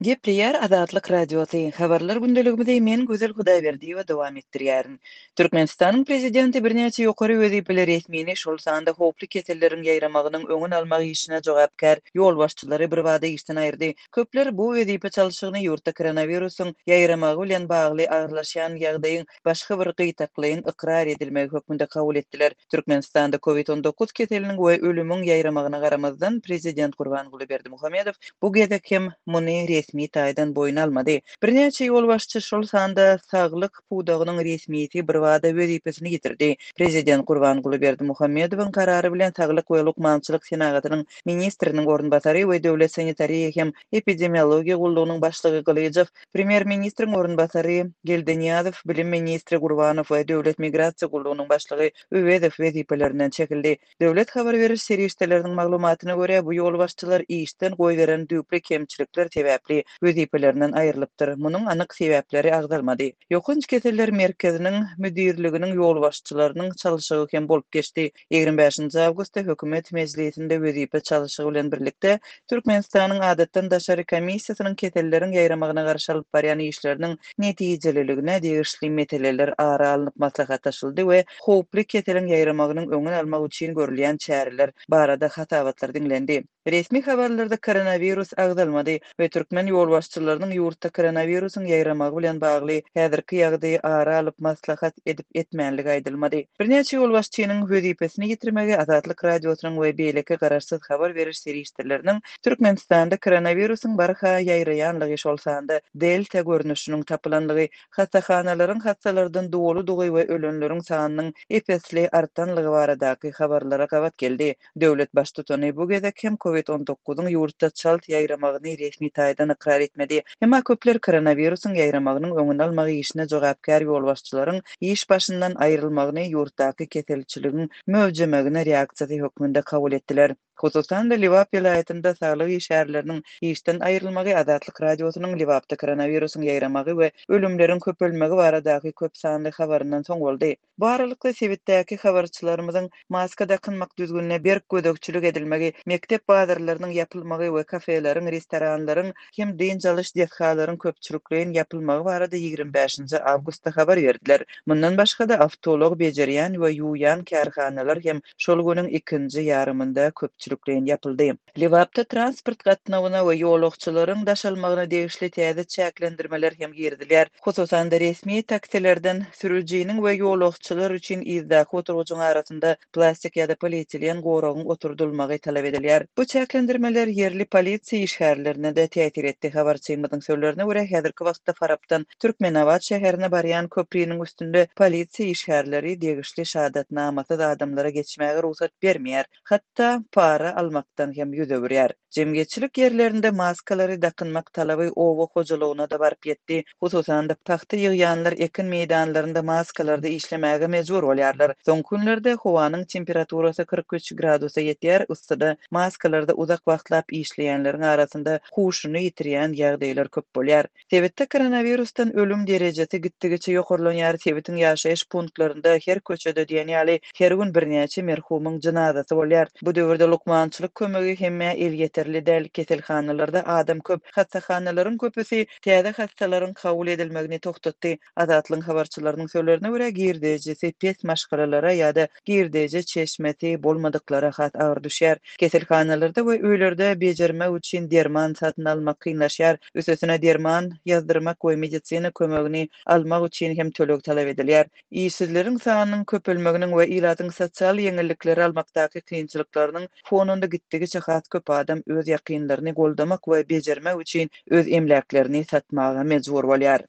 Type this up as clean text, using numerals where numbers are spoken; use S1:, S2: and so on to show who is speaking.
S1: Gepleýär Azatlyk Radiosy, Habarlar gündeligimizi men Gözel Hudaýberdiýewa dowam etdirýärin. Türkmenistanyň Prezidenti birnäçe ýokary wezipeli resmini, şol sanda howply keselleriň ýaýramagynyň öňüni almak işine jogapkär ýolbaşçylary birbada işden aýyrdy. Köpler bu wezipe çalşygyny ýurtda koronawirusyň ýaýramagy bilen bagly agyrlaşýan ýagdaýyň başga bir gytaklaýyn ykrar edilmegi hökmünde kabul etdiler. Türkmenistanda Covid 19 keseliniň we ölümiň ýaýramagyna garamazdan, prezident Gurbanguly Berdimuhamedow bu gezek hem muny resmi taýdan boýun almady. Birnäçe ýolbaşçy, şol sanda saglyk pudagynyň resmisi birbada wezipesini ýitirdi. Prezident Gurbanguly Berdimuhamedowyň karary bilen saglyk we lukmançylyk senagatynyň ministriniň orunbasary we Döwlet sanitariýa hem epidemiologiýa gullugynyň başlygy Gylyjow Premýer-ministriň orunbasary Geldinyýazow, bilim ministri Gurbanow we Döwlet migrasiýa gullugynyň başlygy Öwezow wezipelerinden çekildi. Döwlet habar beriş serişdeleriniň maglumatyna görä, bu ýolbaşçylar işden goýberen düýpli kemçilikler sebäpli wezipelerinden aýrylypdyr. Munuň anyk sebäpleri agzalmady. Ýokanç keseller merkeziniň müdirliginiň ýolbaşçylarynyň çalşygy hem bolup geçdi. 25 awgustda Hökümet mejlisinde wezipe çalşygy bilen birlikde, Türkmenistanyň Adatdan daşary komissiýasynyň keselleriň ýaýramagyna garşy alyp barýan işleriniň netijeliligine degişli meseleler ara alnyp maslahatlaşyldy we howply keseliň ýaýramagynyň öňüni almak üçin görülýän çäreler barada hasabatlar diňlendi. Resmi habarlarda koronawirus agzalmady we türkmen ýolbaşçylarynyň ýurtda koronawirusyň ýaýramagy bilen bagly häzirki ýagdaýy ara alyp maslahat edip-etmänligi aýdylmady. Birnäçe ýolbaşçynyň wezipesini ýitirmegi Azatlyk Radiosynyň we beýleki garaşsyz habar beriş serişdeleriniň Türkmenistanda koronawirusyň barha ýaýraýanlygy, şol sanda Delta görnüşiniň tapylanlygy, hassahanalaryň hassalardan doludygy we ölenleriň sanynyň ep-esli artanlygy baradaky habarlara gabat geldi. Döwlet Baştutany bu gezek hem Covid 19-yň ýurtda çalt ýaýramagyny resmi taýdan ykrar etmedi. Emma köpler koronawirusyň ýaýramagynyň öňüni almak işine jogapkär ýolbaşçylaryň iş başyndan aýrylmagyny ýurtdaky keselçiligiň möwjemegine reaksiýasy hökmünde kabul etdiler. Hususan-da, Lebap welaýatynda saglyk işgärleriniň işden aýrylmagy Azatlyk Radiosynyň Lebapda koronawirusyň ýaýramagy we ölümleriň köpelmegi baradaky köp sanly habaryndan soň boldy. Bu aralykda, sebitdäki habarçylarymyzyň maska dakynmak düzgünine berk gözegçilik edilmegi, mekdep bazarlarynyň ýapylmagy we kafeleriň, restoranlaryň hem dynç alyş desgalaryň köpçülikleýin ýapylmagy barada 25-nji awgustda habar berdiler. Mundan başga-da, awtoulag bejerýän we ýuwýan kärhanalar hem şol günüň ikinji ýarymynda köpçülikleýin ýapyldy. Lebapda transport gatnawyna we ýolagçylaryň daşalmagyna degişli täze çäklendirmeler hem girizilýär. Hususan-da, resmi taksilerden sürüjiniň we ýolagçylar üçin yzdaky oturgyjyň arasynda plastik ýa-da polietilen goragyň oturdylmagy talap edilýär. Bu çäklendirmeler ýerli polisiýa işgärlerine-de täsir etdi. Habarçymyzyň sözlerine görä, häzirki wagtda Farapdan Türkmenabat şäherine barýan köpriniň üstünde polisiýa işgärleri degişli şahadatnamasyz adamlara geçmäge rugsat bermeýär. Hatda para almakdan hem ýüz öwürýär. Jemgyýetçilik ýerlerinde maskalary dakynmak talaby oba hojalygyna-da baryp ýetdi. Hususan-da, pagta ýygýanlar ekin meýdanlarynda maskalarda işlemäge mejbur bolýarlar. Soňky günlerde howanyň temperaturasy 43 gradusa ýetýär, yssyda maskalarda uzak wagtlap işleýänleriň arasynda huşuny ýitirýän ýagdaýlar köp bolýar. Sebitde koronawirusdan ölüm derejesi gitdigiçe ýokarlanýar, sebitiň ýaşaýyş punktlarynda her köçede diýen ýaly her gün birnäçe merhumyň jynazasy bolýar. Bu döwürde lukmançylyk kömegi hemmä elýeterli däl, keselhanalarda adam köp, hassahanalaryň köpüsi täze hassalaryň kabul edilmegini togtatdy. Azatlygyň habarçylarynyň sözlerine görä, girdejisi pes maşgalalara ýa-da girdeji çeşmesi bolmadyklara has agyr düşýär. Keselhanalarda we öýlerde bejermek üçin derman satyn almak kynlaşýar. Üstesine derman ýazdyrmak we medisina kömegini almak üçin hem töleg talap edilýär. Işsizleriň sanynyň köpelmeginiň we ilatyň sosial ýeňillikleri almakdaky kynçylyklarynyň fonunda gitdigiçe has köp adam öz ýakynlaryny goldamak we bejermek üçin öz emläklerini satmaga mejbur bolýar.